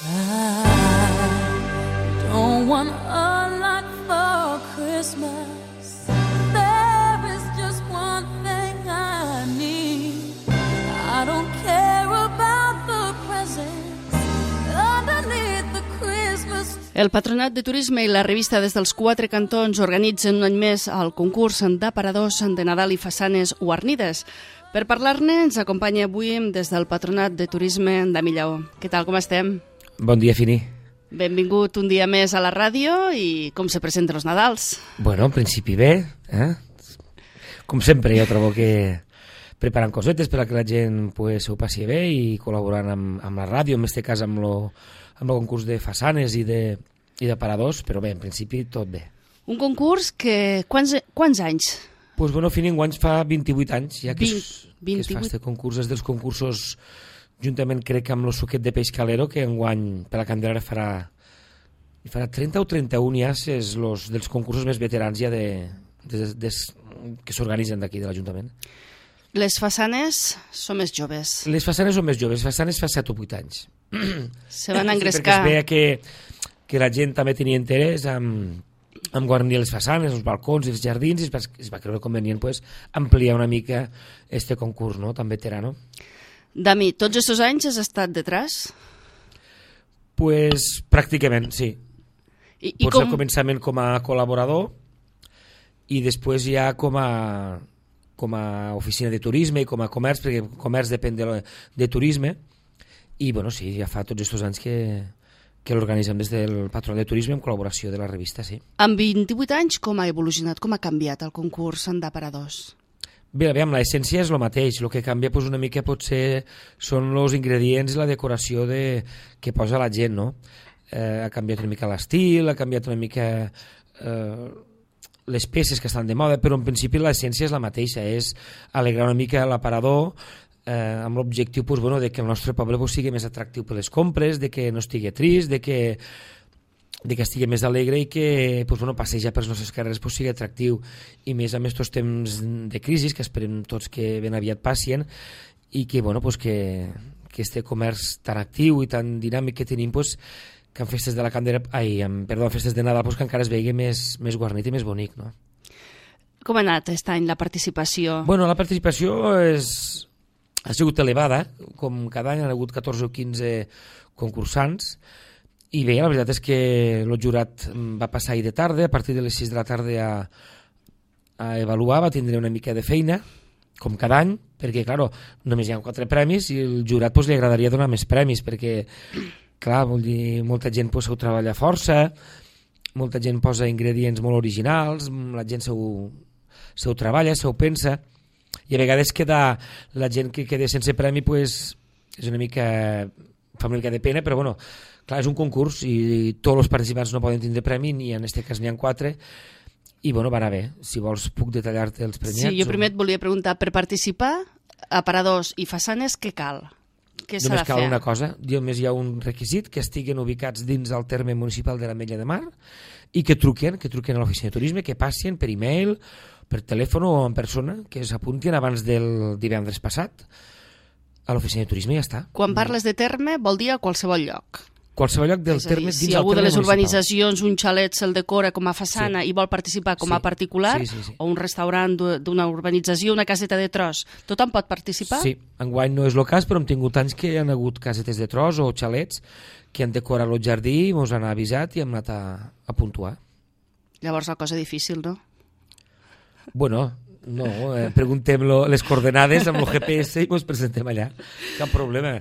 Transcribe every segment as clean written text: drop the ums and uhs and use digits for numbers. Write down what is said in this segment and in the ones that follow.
I don't want a lot for Christmas. There is just one thing I need. I don't care about the presents underneath the Christmas. El Patronat de Turisme i la revista Des dels Quatre Cantons organitzen un any més el concurs d'aparadors de Nadal i façanes guarnides. Per parlar-ne ens acompanya avui des del Patronat de Turisme de Millaó. Què tal, com estem? Bon dia, Fini. Benvingut un dia més a la ràdio i com se presenten els Nadals? Bueno, en principi bé, Com sempre, jo trobo que preparant cosetes per a que la gent s'ho passi bé i col·laborant amb la ràdio, en aquest cas amb el concurs de façanes i d'aparadors, però bé, en principi tot bé. Un concurs que... Quants anys? Doncs bueno, Fini, enguany fa 28 anys, ja que es fa 28. aquest concurs, és dels concursos, juntament crec que amb el suquet de peix calero, que enguany per la Candelera farà 30 o 31 ja, és dels concursos més veterans ja que s'organitzen d'aquí, de l'Ajuntament. Les façanes són més joves. Les façanes són més joves, les façanes fa 7 o 8 anys. Se van engrescar. Sí, perquè es veia que la gent també tenia interès en guarnir les façanes, els balcons i els jardins, i es va creure convenient ampliar una mica este concurs, no?, tan veterano. Dami, tots aquests anys has estat detrás? Pues pràcticament, sí. I al començament com a col·laborador i després ja com a oficina de turisme i com a comerç, perquè comerç depèn de turisme, i bueno, sí, ja fa tots aquests anys que l'organitzem des del Patronat de Turisme en col·laboració de la revista, sí. En 28 anys com ha evolucionat, com ha canviat el concurs d'aparadors? Bé, aviam, l'essència és el mateix, el que canvia una mica potser són els ingredients i la decoració que posa la gent, no? Ha canviat una mica l'estil, ha canviat una mica les peces que estan de moda, però en principi l'essència és la mateixa, és alegrar una mica l'aparador amb l'objectiu de que el nostre poble sigui més atractiu per les compres, de que no estigui trist, de que estigui més alegre i que passejar per les nostres carreres sigui atractiu, i més amb aquests temps de crisi que esperem tots que ben aviat passin, i que este comerç tan actiu i tan dinàmic que tenim, que en festes de la Candelera, en festes de Nadal, que encara es vegi més guarnit i més bonic, no? Com ha anat aquest any la participació? Bueno, la participació ha sigut elevada, com cada any han hagut 14 o 15 concursants, i bé, la veritat és que el jurat va passar ahir de tarda, a partir de les 6 de la tarda a avaluar, va tindre una mica de feina, com cada any, perquè, clar, només hi ha 4 premis i el jurat li agradaria donar més premis, perquè, clar, vol dir, molta gent s'ho treballa força, molta gent posa ingredients molt originals, la gent s'ho treballa, s'ho pensa, i a vegades la gent que queda sense premi és una mica, fa una mica de pena, però bueno, clar, és un concurs i tots els participants no poden tindre premi, ni en aquest cas n'hi ha 4, i bueno, va anar bé. Si vols puc detallar-te els premiats. Sí, jo primer et volia preguntar, per participar, aparadors i façanes, què cal? Què s'ha de fer? Només cal una cosa, només hi ha un requisit, que estiguin ubicats dins del terme municipal de l'Ametlla de Mar i que truquen a l'oficina de turisme, que passin per e-mail, per telèfon o en persona, que s'apuntin abans del divendres passat a l'oficina de turisme i ja està. Quan parles de terme vol dir a qualsevol lloc? Qualsevol lloc del terme, dins del terme municipal. Si algú de les urbanitzacions, un xalet se'l decora com a façana i vol participar com a particular, o un restaurant d'una urbanització, una caseta de tros, tothom pot participar? Sí, enguany no és el cas, però hem tingut anys que hi ha hagut casetes de tros o xalets que han decorat el jardí, ens han avisat i hem anat a puntuar. Llavors la cosa difícil, no? Bueno, no, preguntem les coordenades amb el GPS i ens presentem allà. Cap problema.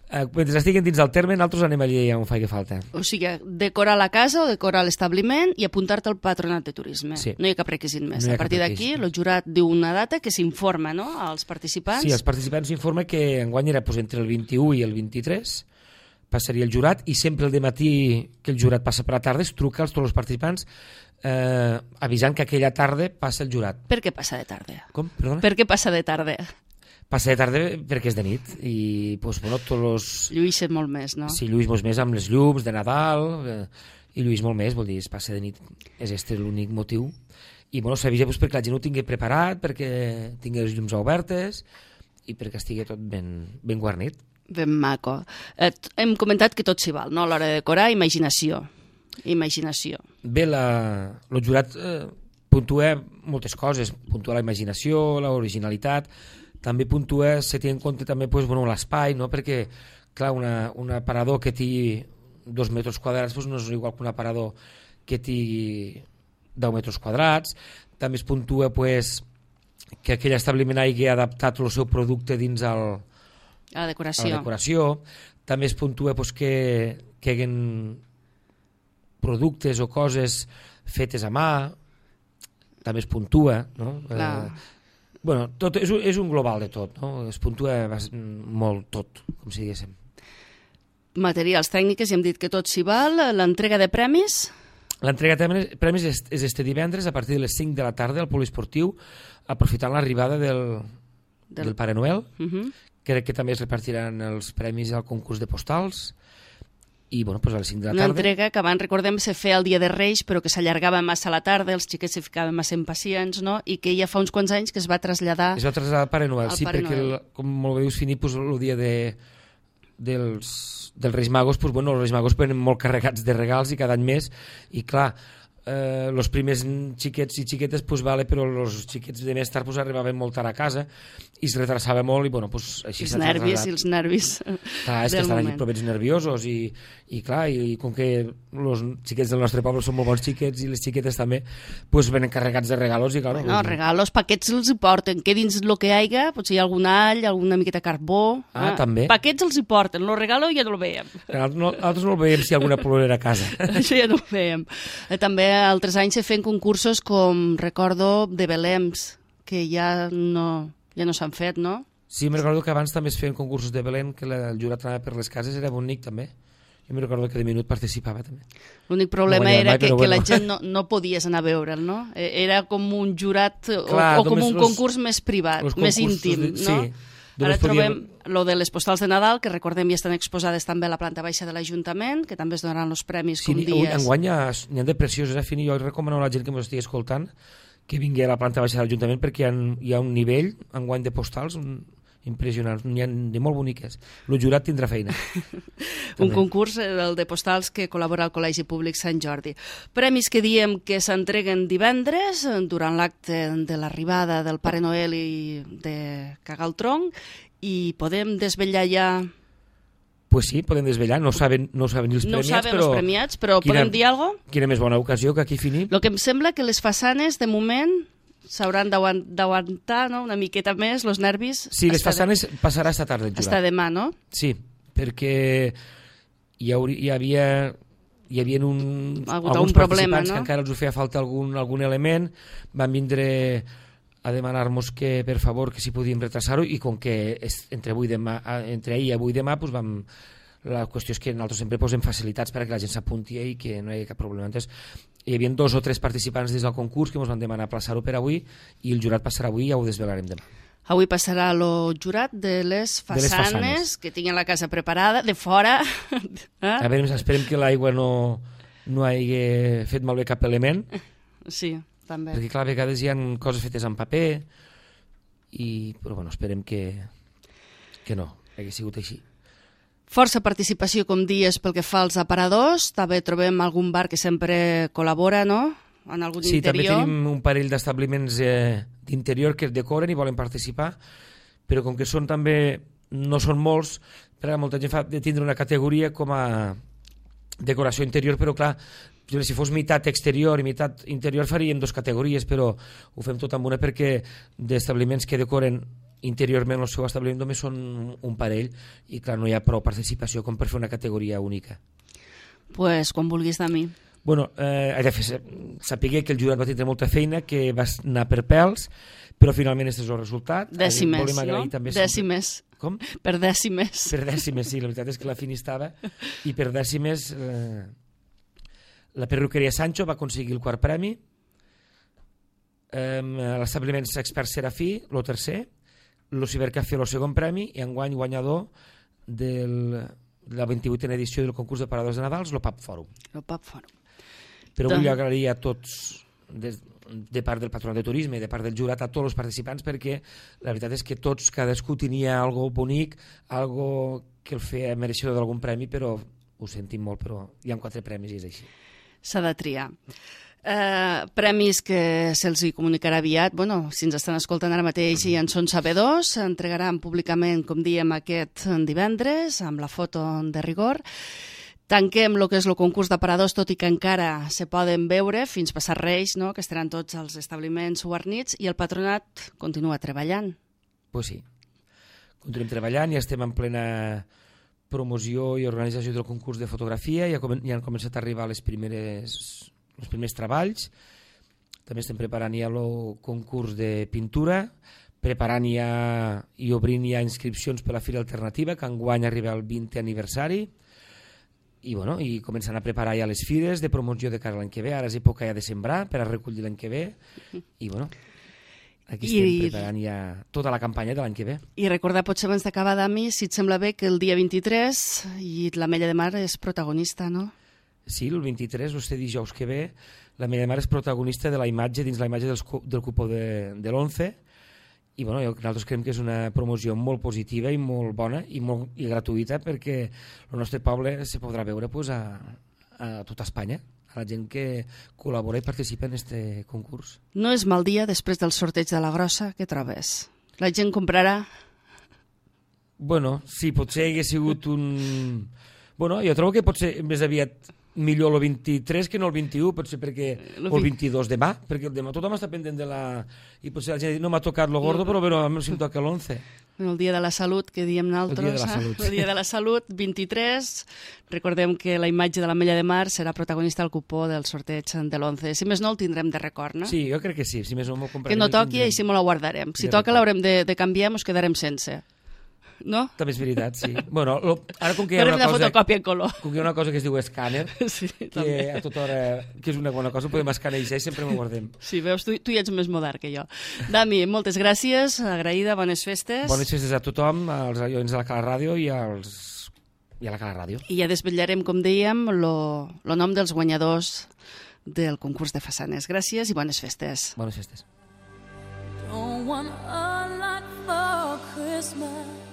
Mentre estiguin dins del terme, nosaltres anem allà on faci falta. O sigui, decorar la casa o decorar l'establiment i apuntar-te al Patronat de Turisme. Sí. No hi ha cap requisit més. A partir d'aquí, el jurat diu una data que s'informa, no?, als participants. Sí, els participants s'informa que enguany era entre el 21 i el 23, passaria el jurat, i sempre el dematí que el jurat passa per la tarda es truca als tots els participants avisant que aquella tarda passa el jurat. Per què passa de tarda? Com? Perdona? Per què passa de tarda? Passa de tarda perquè és de nit i tots els... Lluïsset molt més, no? Sí, lluís molt més amb les llums de Nadal i lluís molt més, vol dir, es passa de nit, és l'únic motiu. I s'avisa perquè la gent ho tingui preparat, perquè tingui les llums obertes i perquè estigui tot ben guarnit. Ben maco. Hem comentat que tot s'hi val, no? A l'hora de decorar, imaginació. Bé, el jurat puntua moltes coses, puntua la imaginació, l'originalitat, també puntua, se té en compte també l'espai, no? Perquè clar, un aparador que té 2 metres quadrats no és igual que un aparador que té 10 metres quadrats. També es puntua que aquell establiment hagi adaptat el seu producte dins a la decoració. També es puntua que hi hagin productes o coses fetes a mà, també es puntua, no? Bueno, tot és un global de tot, no? Es puntua molt tot, com si diguéssim. Materials, tècniques, ja hem dit que tot s'hi val. L'entrega de premis? L'entrega de premis és este divendres a partir de les 5 de la tarda al poliesportiu, aprofitant l'arribada del Pare Noel. Crec que també es repartiran els premis al concurs de postals. I bueno, doncs a les 5 de la tarda... Una entrega que abans, recordem, se feia el dia de Reis, però que s'allargava massa a la tarda, els xiquets se ficaven massa impacients, no? I que ja fa uns quants anys que es va traslladar... Es va traslladar al Pare Noel, sí, perquè, com molt bé dius, Fini, el dia dels Reis Magos, els Reis Magos venen molt carregats de regals i cada any més, i clar, els primers xiquets i xiquetes, vale, però els xiquets de més tard arribaven molt tard a casa i es retrasava molt i bueno, així s'ha trasllat. Els nervis clar, és que estan allí provets nerviosos i clar, i com que els xiquets del nostre poble són molt bons xiquets i les xiquetes també, venen carregats de regalos i clar... No, regalos, paquets els hi porten, que dins el que hi hagi, potser hi ha algun all, alguna miqueta carbó... també. Paquets els hi porten, el regalo ja no el veiem. Nosaltres no el veiem si hi ha alguna plorera a casa. Això ja no ho veiem. També altres anys se feien concursos com, recordo, de Belems, que ja no s'han fet, no? Sí, me recordo que abans també es feien concursos de Belém, que el jurat anava per les cases, era bonic també. Jo me recordo que de minut participava també. L'únic problema era que la gent no podies anar a veure'l, no? Era com un jurat o com un concurs més privat, més íntim, no? Sí. Ara trobem lo de les postals de Nadal, que recordem ja estan exposades també a la planta baixa de l'Ajuntament, que també es donaran els premis com dies. Enguany n'hi ha de precioses, Fini, jo recomano a la gent que m'estigui escoltant que vingui a la planta baixa de l'Ajuntament perquè hi ha un nivell enguany de postals impressionants, n'hi ha de molt boniques. El jurat tindrà feina. Un concurs, el de postals, que col·labora al Col·legi Públic Sant Jordi. Premis que diem que s'entreguen divendres durant l'acte de l'arribada del Pare Noel i de cagar el tronc, i podem desvetllar ja... Pues sí, podem desvetllar, no saben els premiats, però podem dir alguna cosa? Quina més bona ocasió que aquí finim. El que em sembla que les façanes, de moment, s'hauran d'aguantar, no? Una miqueta més, els nervis... Sí, les façanes passarà esta tarda el jurat. Hasta demà, no? Sí, perquè hi havia uns problema, participants que encara els feia falta algun element, van vindre a demanar-nos que, per favor, que si podíem retrasar-ho, i com que entre ahir i avui demà, la qüestió és que nosaltres sempre posem facilitats perquè la gent s'apunti i que no hi hagi cap problema. Entonces, hi havia 2 o 3 participants des del concurs que ens van demanar aplaçar-ho per avui, i el jurat passarà avui i ja ho desvelarem demà. Avui passarà el jurat de les façanes que tinguin la casa preparada, de fora. A veure, esperem que l'aigua no hagi fet malbé cap element. Sí, també. Perquè clar, a vegades hi ha coses fetes en paper, però bueno, esperem que no hagi sigut així. Força participació, com dies, pel que fa als aparadors. També trobem algun bar que sempre col·labora, no? En algun interior. Sí, també tenim un parell d'establiments d'interior que decoren i volen participar, però com que no són molts, perquè molta gent fa de tindre una categoria com a decoració interior, però clar, si fos meitat exterior i meitat interior faríem 2 categories, però ho fem tot amb una perquè d'establiments que decoren interiorment el seu establiment només són un parell i clar, no hi ha prou participació com per fer una categoria única. Pues quan vulguis de mi. Bueno, he de saber que el jurat va tindre molta feina, que va anar per pèls, però finalment aquest és el resultat. Dècimes, no? Dècimes. Com? Per dècimes. Per dècimes, sí, la veritat és que la Fini estava, i per dècimes la perruqueria Sancho va aconseguir el 4è premi, l'establiment Expert Serafí, el 3è, el Cibercafé, el 2è premi, i enguany guanyador de la 28a edició del concurs de paradors de Nadals, el Pub Fòrum. El Pub Fòrum. Però vull agrair a tots, de part del Patronat de Turisme i de part del jurat, a tots els participants, perquè la veritat és que tots, cadascú tenia algo bonic, algo el feia mereixedor d'algun premi, però ho sentim molt, però hi ha 4 premis i és així. S'ha de triar. Premis que se'ls hi comunicarà aviat. Bueno, si ens estan escoltant ara mateix i en són sabedors, s'entregaran públicament, com diem, aquest divendres, amb la foto de rigor. Tanquem el que és el concurs d'aparadors, tot i que encara se poden veure fins passar Reis, no? Que estaran tots els establiments guarnits, i el patronat continua treballant. Pues sí, continuem treballant i estem en plena promoció i organització del concurs de fotografia, ja han començat a arribar els primers treballs. També estem preparant ja el concurs de pintura, preparant ja i obrint ja inscripcions per a la Fira Alternativa, que enguany arriba al 20è aniversari, i començant a preparar ja les fires de promoció de cara a l'any que ve. Ara és època ja de sembrar per a recollir l'any que ve, i aquí estem preparant ja tota la campanya de l'any que ve. I recordar, potser abans d'acabar, Dami, si et sembla bé, que el dia 23 i l'Ametlla de Mar és protagonista, no? Sí, el 23, este dijous que ve, l'Ametlla de Mar és protagonista de la imatge, dins la imatge del cupó de l'11, i nosaltres creiem que és una promoció molt positiva i molt bona i gratuïta, perquè el nostre poble se podrà veure a tota Espanya, a la gent que col·labora i participa en aquest concurs. No és mal dia després del sorteig de la grossa, què trobes? La gent comprarà? Sí, potser hagués sigut un... jo trobo que potser més aviat millor el 23 que no el 21, potser perquè o el 22 demà, perquè el demà tothom està pendent de la... I potser la gent ha dit, no m'ha tocat lo gordo, però a mi em toca l'11. El dia de la salut, que diem nosaltres. El dia de la salut. El dia de la salut, 23. Recordem que la imatge de l'Ametlla de Mar serà protagonista al cupó del sorteig de l'11. Si més no, el tindrem de record, no? Sí, jo crec que sí. Si més no, m'ho comprarem. Que no toqui, així m'ho la guardarem. Si toca, l'haurem de canviar, ens quedarem sense. No? També és veritat, sí. Ara com que hi ha una fotocòpia en color. Com que hi ha una cosa que es diu escàner, sí, que a tota hora, que és una bona cosa, podem escanejar i sempre m'ho guardem. Sí, veus, tu ja ets més modern que jo. Dami, moltes gràcies, agraïda, bones festes. Bones festes a tothom, als oients de la Cala Ràdio i a la Cala Ràdio. I ja desvetllarem, com dèiem, el nom dels guanyadors del concurs de façanes. Gràcies i bones festes. Bones festes. Don't want a lot for Christmas.